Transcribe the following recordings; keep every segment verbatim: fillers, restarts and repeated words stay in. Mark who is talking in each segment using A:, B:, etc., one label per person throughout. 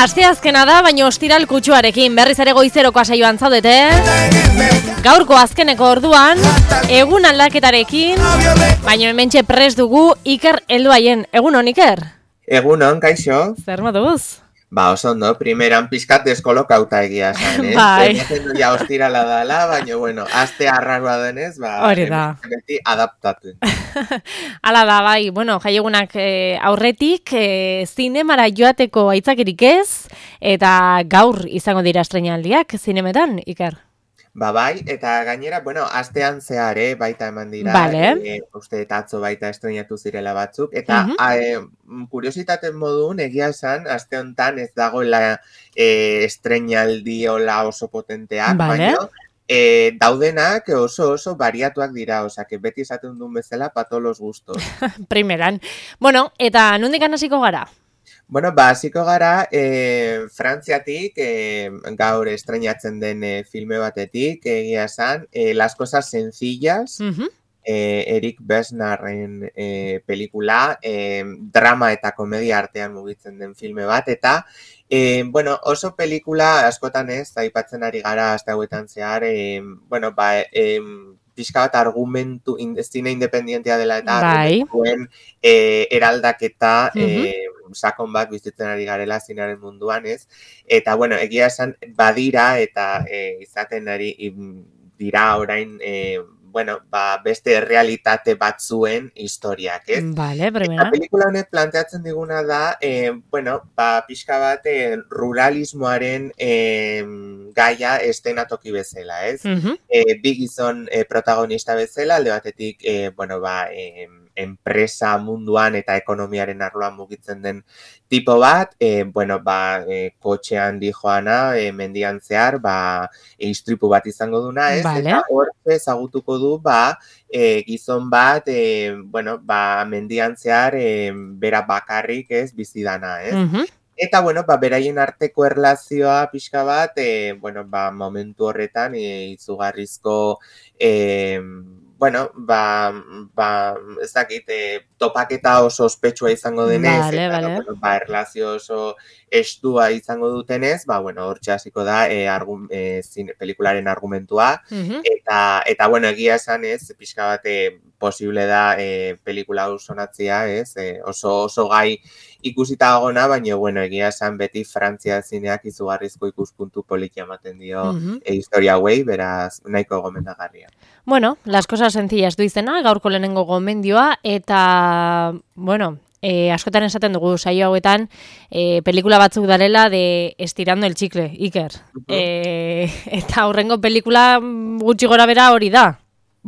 A: Asteazkena da, baina ostiral kutsuarekin berriz ere goizeroko saioan zaudete. Gaurko azkeneko orduan, egun aldaketarekin, baina hementxe prest dugu Iker helduaien. Egunon, Iker?
B: Egunon, kaixo?
A: Zer moduz?
B: Ba, oso ondo, primeran pizkat deskolokauta egia esan, eh?
A: Bai.
B: Ematen du ja ostirala dala, baina, bueno, aste arraroa denez, ba,
A: hori da.
B: beti adaptatu.
A: Hala da, bai, bueno, jaiegunak eh, aurretik, eh, zinemara joateko aitzakirik ez, eta gaur izango dira estreinaldiak zinemetan, Iker?
B: Ba, bai, eta gainera, bueno, astean zehar, eh, baita eman dira,
A: Vale.
B: e, uste eta atzo baita estreinatu zirela batzuk, eta
A: Mhm.
B: uh kuriositaten modun, egia esan, aste honetan ez dagoela e, estreinaldi hola oso potenteak,
A: Vale.
B: baina e, daudenak oso oso bariatuak dira, osea, que beti esaten duen bezala pato los gustos.
A: Primeran. Bueno, eta nondik hasiko gara?
B: Bueno, ba, hasiko gara, e, Frantziatik, e, gaur estreinatzen den e, filme batetik, egia esan, e, Las cosas sencillas,
A: Mhm.
B: e, Eric Besnarren e, pelikula, e, drama eta komedia artean mugitzen den filme bat, eta, e, bueno, oso pelikula askotan ez, aipatzen ari gara aste hauetan zehar, e, bueno, ba, e, pixka bat argumentu, in, zine independientea dela eta
A: Bai.
B: argumentuen e, eraldaketa,
A: Mhm.
B: e, sakon bat bizitzen ari garela zinaren munduan, ez? Eta, bueno, egia esan badira eta e, izaten ari im, dira orain, e, bueno, ba, beste realitate batzuen historiak, ez?
A: Vale,
B: Eta
A: primera.
B: pelikula honek planteatzen diguna da, e, bueno, ba, pixka bat e, ruralismoaren e, gaia estenatoki bezala, ez?
A: Mhm.
B: E, bi gizon e, protagonista bezala, alde batetik, e, bueno, ba, e, enpresa munduan eta ekonomiaren arloan mugitzen den tipo bat, e, bueno, ba, e, kotxean di joana, e, mendian zehar, ba, e, istripu bat izango duna, ez?
A: Vale.
B: Eta hor ezagutuko du, ba, e, gizon bat, e, bueno, ba, mendian zehar, e, bera bakarrik, ez, bizidana, ez?
A: Mhm.
B: Eta, bueno, ba, beraien arteko erlazioa pixka bat, e, bueno, ba, momentu horretan, e, izugarrizko, e, bueno, ba, ba, ez dakit, e, topaketa oso ospetsua izango denez,
A: Vale,
B: eta,
A: vale.
B: bueno, ba, erlazio oso estua izango dutenez, ba, bueno, hortxe hasiko da, e, argun, e, zine, pelikularen argumentua,
A: Mhm.
B: eta, eta, bueno, egia esan ez, pixka bat, e, posible da, e, pelikula hau sonatzea, ez, e, oso, oso gai ikusita agona, baina, bueno, egia esan beti Frantzia zineak izugarrizko ikuspuntu politia ematen dio
A: Mhm.
B: e, historia hauei, beraz, nahiko gomendagarria.
A: Bueno, las cosas sencillas du izena, gaurko lehenengo gomendioa, eta, bueno, eh, askotan esaten dugu saio hauetan, eh, pelikula batzuk darela de estirando el chicle, Iker.
B: Mhm.
A: Eh, eta horrengo pelikula gutxi gora bera hori da.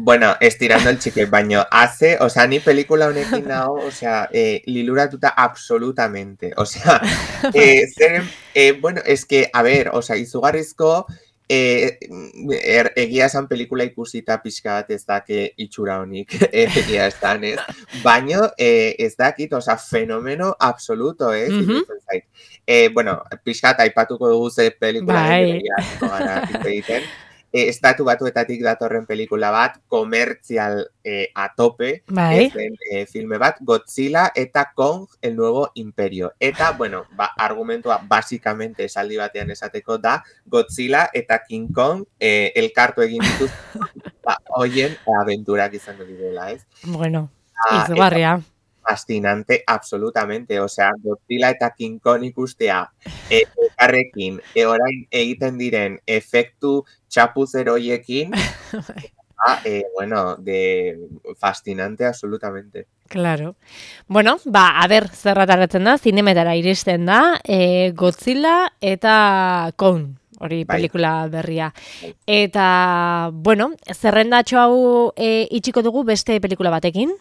B: Bueno, estirando el chicle, baino hace, o sea, ni pelikula honekin nago, o sea, eh, liluratuta absolutamente. O sea, eh, zer, eh, bueno, es que, a ver, o sea, izugarrizko, eh, er, egia esan pelikula ikusita pixka bat ez dake itxura honik, egia esan, ez? Baino, eh, ez dakit, o sea, fenomeno absoluto, ez?
A: Mhm.
B: Iruditzen zait. Eh, bueno, pixka bat aipatuko dugu ze pelikula
A: Bai.
B: den, begira, hasiko gara hitz egiten. E, estatu batuetatik datorren pelikula bat, komertzial e, a tope,
A: Bai.
B: ez den e, filme bat, Godzilla eta Kong, el nuevo imperio. Eta, bueno, ba, argumentua basikamente esaldi batean esateko da, Godzilla eta King Kong e, elkartu egin dituz, ba, hoien aventurak izango direla, ez?
A: Bueno,
B: Ah,
A: izugarria.
B: fascinante, absolutamente. O sea, Godzilla eta King Kong ikustea e, elkarrekin, e, orain egiten diren efektu txapuzer hoiekin, ah, eh, bueno, de fascinante absolutamente.
A: Claro. Bueno, ba, a ber, zer ataratzen da, zinemetara iristen da, eh, Godzilla eta Kong. Hori
B: Bai.
A: pelikula berria.
B: Bai.
A: Eta, bueno, zerrendatxo hau e, itxiko dugu beste pelikula batekin.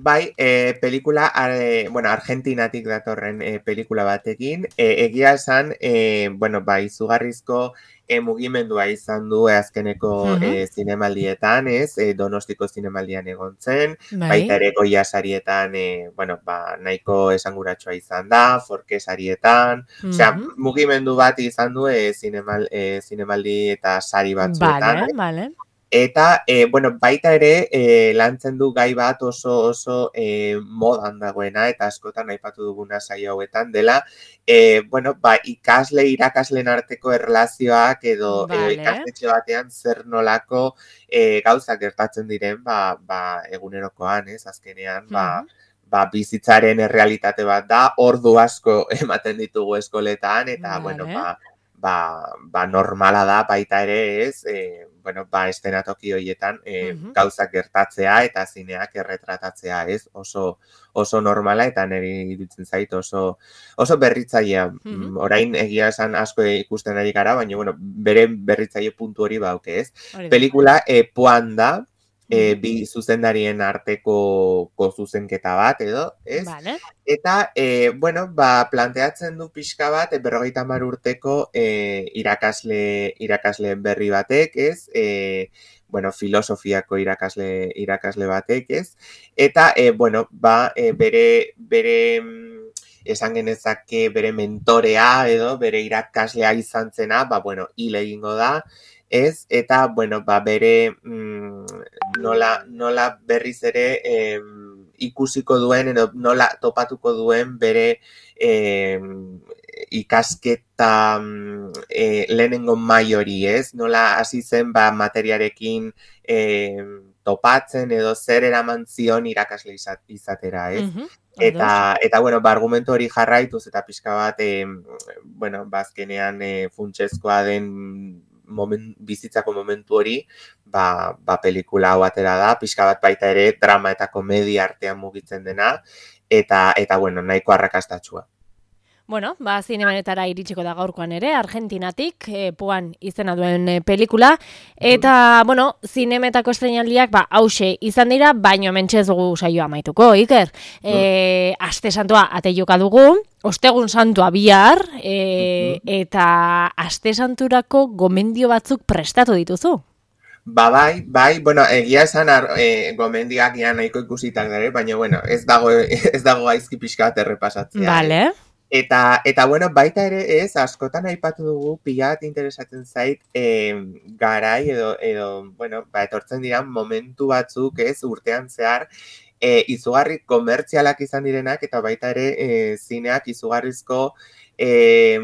B: Bai, e, pelikula, e, bueno, Argentinatik datorren e, pelikula batekin, e, egia esan, e, bueno, bai, izugarrizko e, mugimendua izan du e, azkeneko
A: Mhm.
B: e, zinemaldietan, ez, e, Donostiko zinemaldian egon zen,
A: Bai.
B: baita ere Goya sarietan, e, bueno, ba, nahiko esanguratsua izan da, Forke sarietan, osea,
A: Mhm.
B: mugimendu bat izan du e, zinemal, e, zinemaldi eta sari batzuetan,
A: Vale, vale.
B: Eta, e, bueno, baita ere, e, lantzen du gai bat oso oso e, modan dagoena, eta askotan aipatu duguna saio hauetan dela, e, bueno, ba, ikasle irakasleen arteko erlazioak edo, edo
A: Vale.
B: ikastetxe batean zer nolako e, gauzak gertatzen diren, ba, ba, egunerokoan, ez, azkenean, ba, ba, bizitzaren errealitate bat da, ordu asko ematen ditugu eskoletan, eta,
A: Vale.
B: bueno, ba, ba, ba, normala da baita ere, ez, e, bueno, ba, estenatoki horietan e,
A: Mhm.
B: gauzak gertatzea eta zineak erretratatzea, ez, oso, oso normala eta niri iruditzen zait oso, oso berritzailea.
A: Mhm.
B: Orain egia esan asko ikusten ari gara, baina, bueno, bere berritzaile puntu hori bauke, ez.
A: Hori da.
B: Pelikula e, poan da, e,
A: Mhm.
B: bi zuzendarien arteko ko zuzenketa bat, edo, ez?
A: Vale.
B: Eta, e, bueno, ba, planteatzen du pixka bat, e, berrogeita hamar urteko e, irakasle, irakasle berri batek, ez? E, bueno, filosofiako irakasle, irakasle batek, ez? Eta, e, bueno, ba, e, bere, bere, esan genezake bere mentorea, edo, bere irakaslea izan zena, ba, bueno, hil egingo da, ez? Eta, bueno, ba, bere, mm, nola, nola berriz ere, eh, ikusiko duen, edo nola topatuko duen bere eh, ikasketa eh, lehenengo mai hori, ez? Nola hasi zen ba, materiarekin eh, topatzen edo zer eraman zion irakasle izat, izatera, ez?
A: Mhm.
B: Eta, eta, bueno, ba, argumento hori jarraituz eta pixka bat, eh, bueno, bazkenean eh, funtsezkoa den moment, bizitzako momentu hori, ba, ba pelikula hau atera da, pixka bat baita ere drama eta komedia artean mugitzen dena, eta, eta bueno, nahiko arrakastatsua.
A: Bueno, ba, zinemanetara iritsiko da gaurkoan ere, Argentinatik, e, poan izena duen e, pelikula, eta, bueno, zinemetako estreinaldiak, ba, hause izan dira, baino mentxez dugu saioa amaituko, Iker. E, aste santua ateioka dugu, ostegun santua bihar, e, eta aste santurako gomendio batzuk prestatu dituzu.
B: Ba, bai, bai, bueno, egia esan e, gomendioak ia nahiko ikusitak dara, baina, bueno, ez dago, ez dago gaizki pixka bat errepasatzea.
A: Vale.
B: Eh? Eta, eta, bueno, baita ere ez, askotan aipatu dugu, pila bat interesatzen zait, eh, garai edo, edo, bueno, ba, etortzen dira momentu batzuk ez, urtean zehar, eh, izugarri komertzialak izan direnak, eta baita ere eh, zineak izugarrizko eh,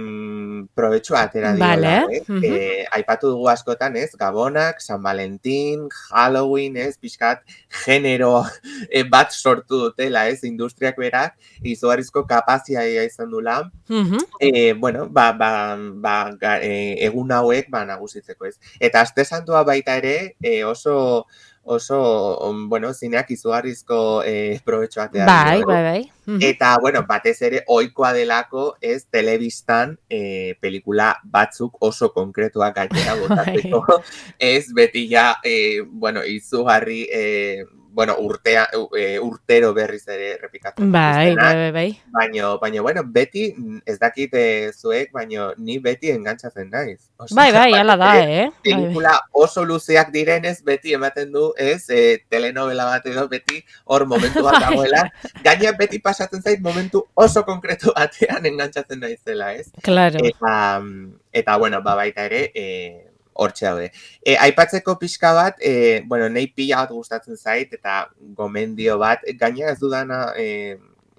B: probetxua atera diola,
A: vale.
B: eh? Uh-huh. eh, aipatu dugu askotan, ez, Gabonak, San Valentin, Halloween, ez, pixkat, genero eh, bat sortu dutela, ez, industriak berak, izugarrizko kapazia izan dula, uh-huh. eh, bueno, ba, ba, ba, ga, eh, egun hauek, ba, nagusitzeko, ez. Eta aste santua baita ere, eh, oso, oso, bueno, zineak izugarrizko eh, probetxoa atera
A: bai,
B: diola.
A: bai, bai. Uh-huh.
B: Eta, bueno, batez ere, ohikoa delako, ez, telebistan eh, pelikula batzuk oso konkretuak gainera botatzeko, ez, beti ja, eh, bueno, izugarri, eh, bueno, urtea, e, urtero berriz ere repikatzen
A: bai, bai, bai, bai.
B: Baina, baina, bueno, beti, ez dakit zuek, baina ni beti engantzatzen naiz.
A: Osea, bai, bai, ala da, eh?
B: Pelikula oso luzeak direnez, beti ematen du, ez, e, telenovela bat edo, beti hor momentu bat dagoela. Gaina beti pasatzen zait momentu oso konkretu batean engantzatzen naizela, ez?
A: Claro.
B: Eta, eta bueno, ba, baita ere, eh, hortxe daude. E, aipatzeko pixka bat, e, bueno, nahi pila bat gustatzen zait, eta gomendio bat, gaina ez dudana, e,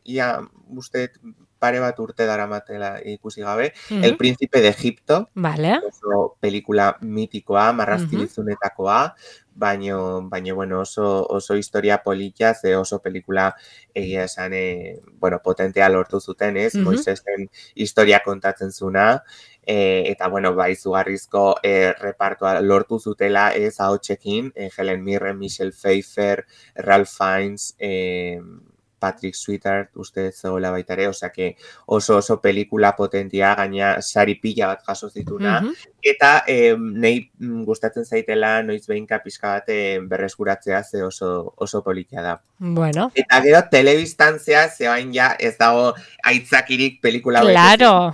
B: ia, uste, pare bat urte daramatela ikusi gabe, uh-huh. El Príncipe de Egipto,
A: vale.
B: oso pelikula mitikoa, marrazkibizunetakoa, uh-huh. baino, baino, bueno, oso, oso historia politia, ze oso pelikula egia esan, e, bueno, potentea lortu zuten, ez, uh-huh. Moisesen historia kontatzen zuna, E, eta, bueno, ba, izugarrizko e, repartoa lortu zutela ez ahotsekin, e, Helen Mirren, Michelle Pfeiffer, Ralph Fiennes, e, Patrick Swayze, uste zegoela baita ere, osea que oso oso pelikula potentia, gaina sari pila bat jaso zituna, uh-huh. eta e, nahi gustatzen zaitela noiz behinka pixka bat e, berreskuratzea ze oso, oso politia da.
A: Bueno.
B: Eta gero telebistan zea, zebain ja ez dago aitzakirik pelikula
A: claro.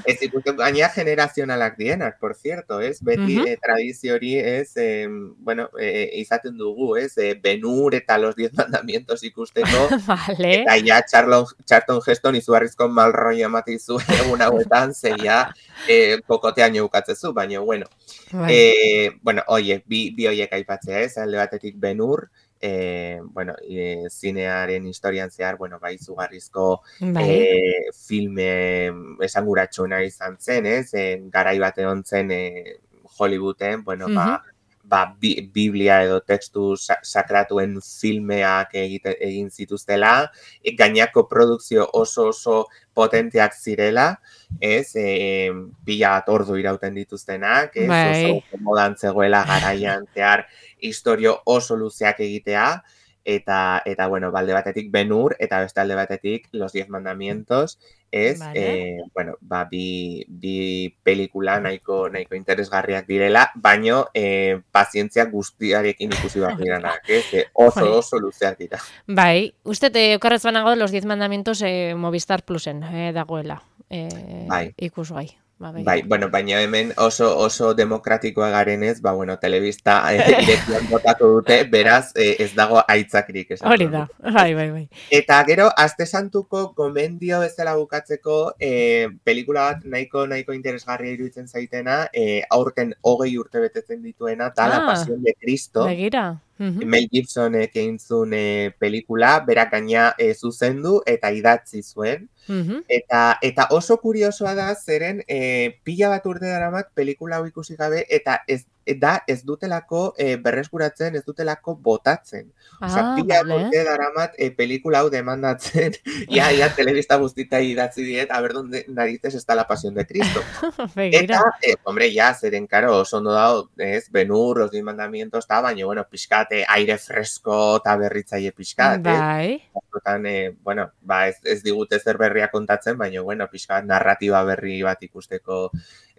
B: Ez ikusten, gaina generazionalak dienak, por cierto, ez? Beti uh-huh. eh, tradizio hori ez, eh, bueno, eh, izaten dugu, ez? Eh, Ben-Hur eta los diez mandamientos ikusteko,
A: Vale.
B: Eta ja Charlton, Charlton Heston izugarrizko malroi amatizu egun hauetan, zeia eh, kokotean eukatzezu, baina, bueno.
A: Bai.
B: Eh, bueno, oie, bi, bi oiek aipatzea ez, alde batetik Ben-Hur, eh, bueno, e, zinearen historian zehar, bueno, bai, izugarrizko
A: Bai.
B: eh, filme esanguratsuena izan zen, ez, eh, garai bate hontzen eh, Hollywooden, bueno,
A: Mhm.
B: ba, ba, bi, Biblia edo tekstu sa sakratuen filmeak egite, egin zituztela, e, gainako produkzio oso oso potenteak zirela, ez, e, pila bat ordu irauten dituztenak, ez,
A: Bai.
B: oso modan zegoela garaian zehar historio oso luzeak egitea, eta, eta bueno, balde batetik Ben-Hur, eta beste alde batetik Los Diez Mandamientos, ez,
A: Vale.
B: eh, bueno, ba, bi, bi pelikula nahiko, nahiko interesgarriak direla, baino eh, pazientzia guztiarekin ikusi behar diranak, ez, eh, oso,
A: Bai.
B: oso luzeak dira.
A: Bai, uste te okarrez banago Los Diez Mandamientos eh, Movistar Plusen eh, dagoela. Eh,
B: Bai.
A: Ikusgai. Ba,
B: Bai, bueno, baina hemen oso oso demokratikoa garenez, ba, bueno, telebista eh, irekian botako dute, beraz, eh, ez dago aitzakrik.
A: Hori da, bai, bai, bai.
B: Eta gero, Aste Santuko gomendio bezala bukatzeko, eh, pelikula bat nahiko nahiko interesgarria iruditzen zaitena, eh, aurten hogei urte betetzen dituena, da La
A: Ah,
B: Pasión de Cristo.
A: Begira. Mhm.
B: Mel Gibsonek egin zuen eh, pelikula, berak gaina eh, zuzendu eta idatzi zuen.
A: Mhm.
B: Eta, eta oso kuriosoa da, zeren eh, pila bat urte daramat pelikula hau ikusi gabe, eta ez, da ez dutelako eh, berreskuratzen, ez dutelako botatzen. Osea,
A: Ah,
B: pila
A: vale.
B: urte daramat eh, pelikula hau demandatzen, ia, ia, telebista guztita idatzi diet, a ver donde narices está La Pasión de Cristo.
A: Begira.
B: Eta, eh, hombre, ya, zeren, karo, oso ondo dago, ez, Ben-Hur, Los Diez Mandamientos, eta, baina, bueno, pixkate, aire fresko eta berritzaile pixkat, ez?
A: Bai.
B: Askotan, eh, bueno, ba, ez, ez digute zer berria kontatzen, baina, bueno, pixkat narratiba berri bat ikusteko,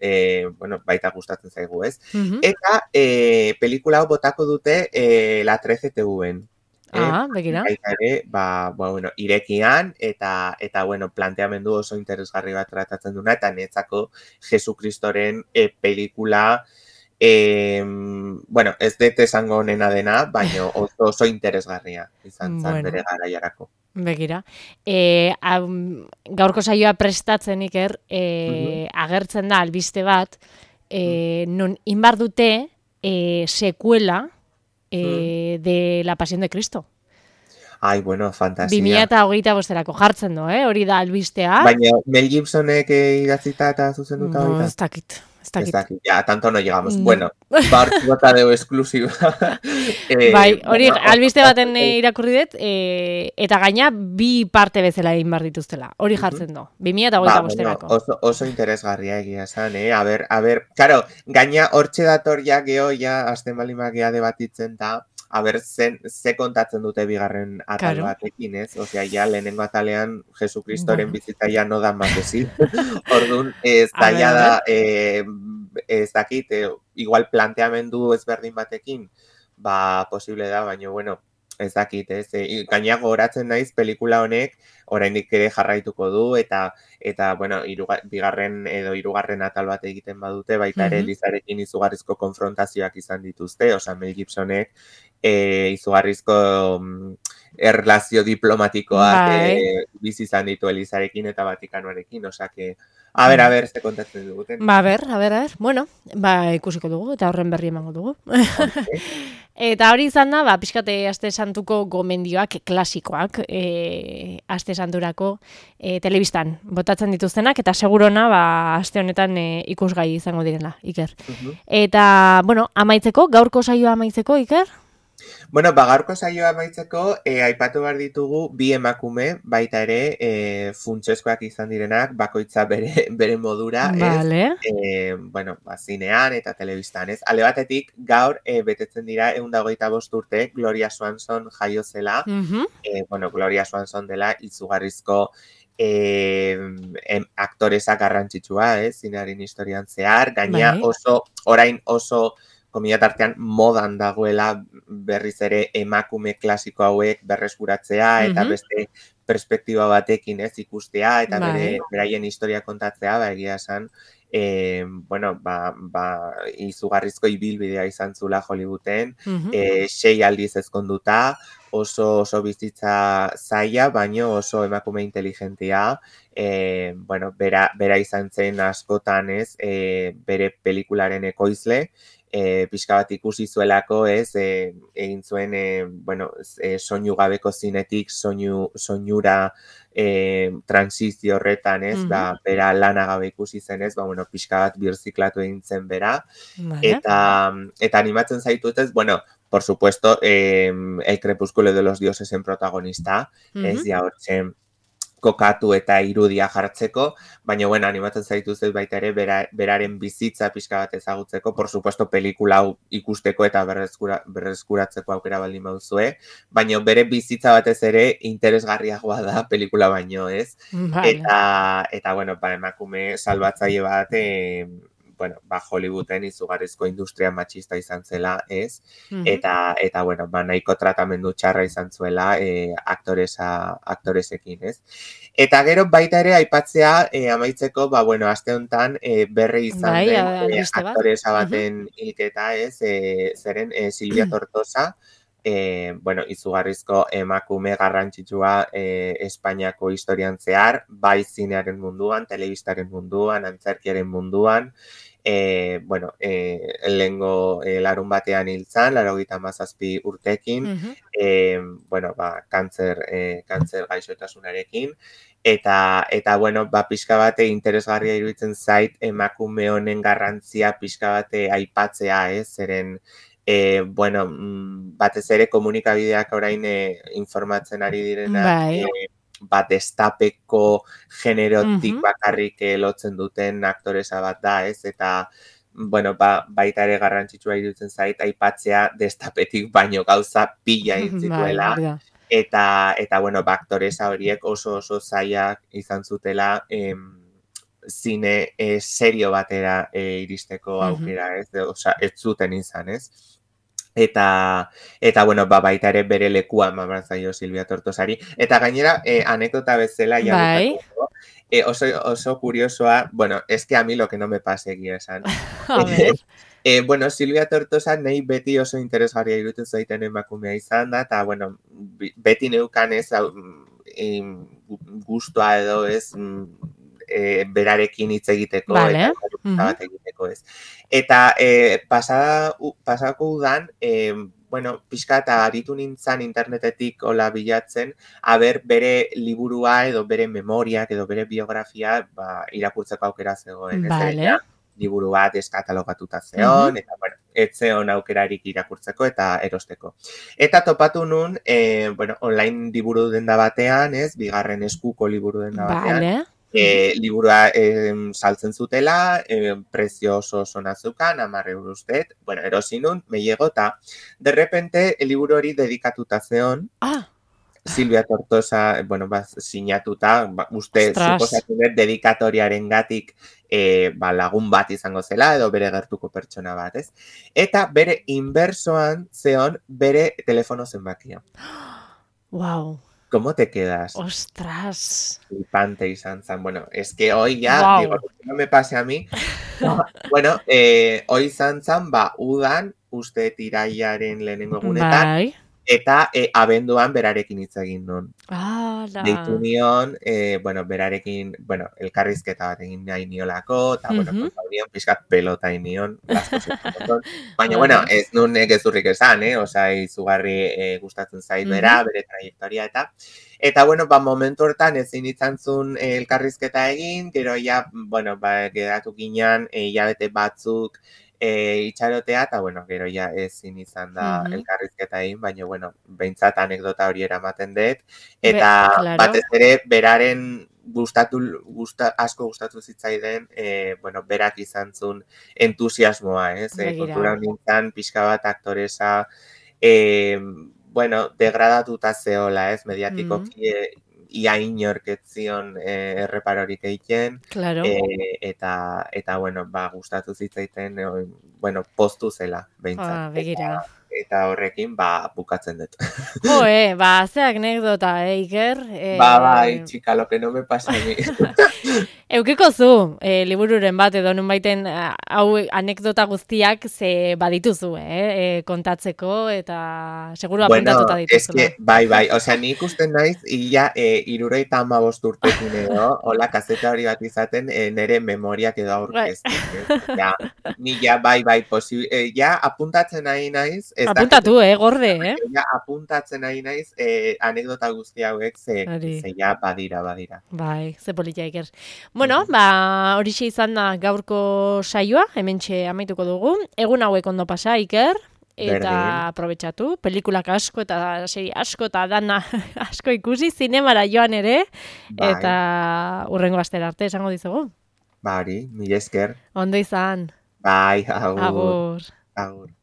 B: eh, bueno, baita gustatzen zaigu, ez?
A: Mhm.
B: Eta, eh, pelikula hau botako dute eh, La trece T V-en.
A: Ah, begira.
B: Baita ere, ba, ba, bueno, irekian, eta, eta, bueno, planteamendu oso interesgarri bat tratatzen duna, eta netzako Jesukristoren e, pelikula, e, bueno, ez dut esango honena dena, baina oso, oso interesgarria izan zen
A: Bueno.
B: bere garaiarako.
A: Begira. E, am, gaurko saioa prestatzen iker, e, agertzen da albiste bat, e, non inbar dute e, sekuela e, de La Pasión de Cristo.
B: Ai, bueno, fantasia.
A: bi mila hogeita bosterako jartzen du, eh? Hori da albistea.
B: Baina Mel Gibsonek eh, idatzita eta zuzenduta
A: No,
B: baita?
A: ez dakit. Ez
B: Ez
A: dakit.
B: dakit, ja, tanto no llegamos.
A: No.
B: Bueno, bartu bota deu esklusiba. eh,
A: Bai, hori
B: bueno,
A: albiste
B: oso-
A: baten eh, irakurri dut, e, eta gaina bi parte bezala egin behar dituztela. Hori jartzen du. bi mila hogeita
B: Ba, bueno,
A: bosterako.
B: oso, oso interesgarria egia esan, eh? A ber, a ber, karo, gaina hortxe dator ja geho, ja, azten balimak gea debatitzen da, a ber, zen, ze kontatzen dute bigarren atal
A: Claro.
B: batekin, ez? Osea, ja, lehenengo atalean Jesukristoren
A: Bueno.
B: bizitza ja no da más desi. Orduan, ez
A: A
B: da
A: ber,
B: ja
A: a
B: da, eh, ez dakit, eh, igual planteamendu ezberdin batekin, ba, posible da, baina, bueno, ez dakit, ez? E, gaina gogoratzen naiz pelikula honek oraindik ere jarraituko du eta eta bueno, iruga, bigarren edo hirugarren atal bat egiten badute, baita ere
A: Mhm.
B: Elizarekin izugarrizko konfrontazioak izan dituzte, osea Mel Gibsonek eh, izugarrizko mm, erlazio diplomatikoak
A: Bai.
B: eh, bizi izan ditu Elizarekin eta Vatikanoarekin, osea que a ber, a ber, ze kontatzen duguten.
A: Ba, a ber, a ber, a ber. Bueno, ba, ikusiko dugu, eta horren berri emango dugu. Eta hori izan da, ba, pixkate Aste Santuko gomendioak klasikoak, e, Aste Santurako e, telebistan botatzen dituztenak, eta segurona, ba, aste honetan e, ikusgai izango direla, Iker.
B: Mhm.
A: Eta, bueno, amaitzeko, gaurko saioa amaitzeko, Iker?
B: Bueno, ba, gaurko saioa amaitzeko, eh, aipatu behar ditugu bi emakume, baita ere, eh, funtsezkoak izan direnak, bakoitza bere, bere modura, ez?
A: Vale.
B: Eh, bueno, ba, zinean eta telebistan, ez? Ale batetik, gaur eh, betetzen dira ehun eta hogeita bost urte, Gloria Swanson jaio zela,
A: Mhm.
B: eh, bueno, Gloria Swanson dela izugarrizko eh, em, aktoresa garrantzitsua, ez? Zinearen historian zehar, gaina
A: Bai.
B: oso, orain oso komila tartean modan dagoela berriz ere emakume klasiko hauek berreskuratzea eta
A: Mhm.
B: beste perspektiba batekin ez ikustea, eta
A: Bai.
B: bere beraien historia kontatzea, ba, egia esan, e, bueno, ba, ba, izugarrizko ibilbidea izan zula Hollywooden,
A: Mhm.
B: e, sei aldiz ezkonduta, oso oso bizitza zaila, baino oso emakume inteligentia, e, bueno, bera, bera izan zen askotan ez, e, bere pelikularen ekoizle, e, pixka bat ikusi zuelako ez, e, egin zuen, e, bueno, e, soinu gabeko zinetik, soinu, soinura e, transizio horretan ez,
A: Mhm.
B: ba, bera lana gabe ikusi zen ez, ba, bueno, pixka bat birziklatu egin zen bera,
A: Vale.
B: eta, eta animatzen zaitut ez, bueno, por supuesto, eh, el crepúsculo de los dioses en protagonista,
A: Mhm.
B: ez ja hortzen kokatu eta irudia jartzeko, baina bueno, animatzen zaituzet baita ere bera, beraren bizitza pixka bat ezagutzeko, por supuesto, pelikula hau ikusteko eta berreskura, berreskuratzeko aukera baldin baduzue, baina bere bizitza batez ere interesgarriagoa da pelikula baino, ez?
A: Vale.
B: Eta, eta bueno, ba, emakume salbatzaile bat, eh, bueno, ba, Hollywooden izugarrizko industria matxista izan zela, ez?
A: Mhm.
B: Eta, eta bueno, ba, nahiko tratamendu txarra izan zuela eh, aktoresa, aktoresekin, ez? Eta gero baita ere aipatzea eh, amaitzeko, ba, bueno, aste honetan eh, berri izan
A: Bai,
B: den
A: a-
B: eh,
A: albiste bat.
B: aktoresa
A: Mhm.
B: baten hilketa, ez? Eh, zeren eh, Silvia Tortosa, eh, bueno, izugarrizko emakume garrantzitsua eh, Espainiako historian zehar, bai zinearen munduan, telebistaren munduan, antzerkiaren munduan, E, bueno, e, lehengo e, larun batean hiltzan, laurogeita hamazazpi urtekin,
A: Mhm.
B: e, bueno, ba, kantzer, e, kantzer gaixotasunarekin, eta, eta bueno, ba, pixka bate interesgarria iruditzen zait emakume honen garrantzia pixka bate aipatzea, ez, zeren, e, bueno, mm, batez ere komunikabideak orain e, informatzen ari direnak,
A: Bai.
B: e, bat destapeko generotik
A: Mhm.
B: bakarrik eh, lotzen duten aktoresa bat da, ez? Eta, bueno, ba, baita ere garrantzitsua iruditzen zait, aipatzea destapetik baino gauza pila egin
A: Bai,
B: zituela.
A: hori da.
B: Eta, eta bueno, ba, aktoresa horiek oso oso zailak izan zutela, em, zine eh, serio batera eh, iristeko
A: Mhm.
B: aukera, ez? Osea, ez zuten izan, ez? Eta, eta bueno, ba, baita ere bere lekua eman behar zaio Silvia Tortosari. Eta gainera, eh, anekdota bezala, ja
A: Bai.
B: bukatzeko, eh, oso, oso kuriosoa, bueno, es que a mí lo que no me pase egia esan.
A: A ver.
B: Eh, bueno, Silvia Tortosa nahi beti oso interesgarria iruditzen zaiten emakumea izan da, eta, bueno, bi- beti neukan ez, hau, em, gustua edo ez, mm, eh, berarekin hitz egiteko
A: Vale.
B: eta elkarrizketa
A: Mhm.
B: bat egiteko ez. Eta eh, pasada, u- pasako udan, eh, bueno, pixka eta aritu nintzan internetetik hola bilatzen, aber bere liburua edo bere memoriak edo bere biografia ba, irakurtzeko aukera zegoen. Ez
A: Vale.
B: zeren, ja, liburu bat eskatalogatuta
A: Mhm.
B: zeon, eta bueno, ez zeon aukerarik irakurtzeko eta erosteko. Eta topatu nun, eh, bueno, online liburu denda batean, ez, bigarren eskuko liburu denda batean,
A: Vale.
B: e, liburua e, saltzen zutela, e, prezio oso oso nazukan, hamar euro ustet, bueno, erosi nun, me llegó eta de repente, el liburu hori dedikatuta zeon,
A: Ah,
B: Silvia Tortosa, bueno, ba, sinatuta, ba, uste,
A: ostras.
B: suposatu dut dedikatoriaren gatik e, ba, lagun bat izango zela, edo bere gertuko pertsona bat, ez? Eta bere inbersoan zeon bere telefono zenbakia.
A: Wow.
B: ¿Cómo te quedas?
A: Ostras.
B: Flipante izan zen. Bueno, es que hoy ya,
A: Wow.
B: digo, que no me pase a mí. Bueno, eh, hoy izan zen, ba, udan, uste tiraiaren lehenengo egunetan,
A: Bai.
B: eta eh, abenduan berarekin hitz egin nun. Deitu
A: Ala.
B: nion, eh, bueno, berarekin, bueno, elkarrizketa bat egin nahi niolako, eta, bueno,
A: Mhm.
B: konta nion, pixkat pelota egin nion, las cosas como son. Baina,
A: Vale.
B: bueno, ez nun gezurrik esan, eh? Osa, izugarri eh, gustatzen zait bera, bere trayektoria eta. Eta, bueno, ba, momentu hortan ezin izan zuen eh, elkarrizketa egin, gero ja, bueno, ba, geratu ginean, eh, hilabete batzuk e, itxarotea, eta, bueno, gero ja ezin izan da
A: Mhm.
B: elkarrizketa egin, baina, bueno, behintzat anekdota hori eramaten dut,
A: Be,
B: eta
A: claro.
B: batez ere beraren gustatu, gusta, asko gustatu zitzaiden, e, bueno, berak izan zuen entusiasmoa, ez? E,
A: Begira.
B: kontura nintzen, pixka bat aktoresa, e, bueno, degradatuta zeola, ez? Mediatikoki, e, ia inork ez zion e, erreparorik egiten,
A: Claro.
B: e, eta, eta, bueno, ba, gustatu zitzaiten, e, bueno, postu zela, behintzat.
A: Ah, begira.
B: eta horrekin, ba, bukatzen dut.
A: Jo, eh, ba, ze anekdota, eh, Iker? Eh,
B: ba, bai, txika, lo que no me pasa a mí.
A: Eukiko zu, eh, libururen bat edo nun baiten hau anekdota guztiak ze badituzu, eh, eh kontatzeko eta seguru apuntatuta
B: bueno,
A: dituzula.
B: Es que, bai, bai, osea, ni ikusten naiz, ia, e, irurogeita hamabost urtekin edo, hola, kaseta hori bat izaten, e, nere memoriak edo aurkezten. Eh? Ja, ni ja, bai, bai, posible, e, ja, apuntatzen nahi naiz. Ez
A: Apuntatu,
B: dakit,
A: eh, gorde, eh?
B: Ja, apuntatzen nahi naiz, e, anekdota guzti hauek, ze, ze ja, badira, badira.
A: Bai, ze politia Iker. Bueno, ba, horixe izan da gaurko saioa, hementxe amaituko dugu. Egun hauek ondo pasa, Iker. Eta
B: Berdin.
A: aprobetxatu, pelikulak asko eta seri asko eta dana asko ikusi, zinemara joan ere,
B: bai.
A: Eta urrengo astera arte esango dizugu.
B: Bari, mila esker.
A: Ondo izan.
B: Bai, agur.
A: Agur.
B: Agur.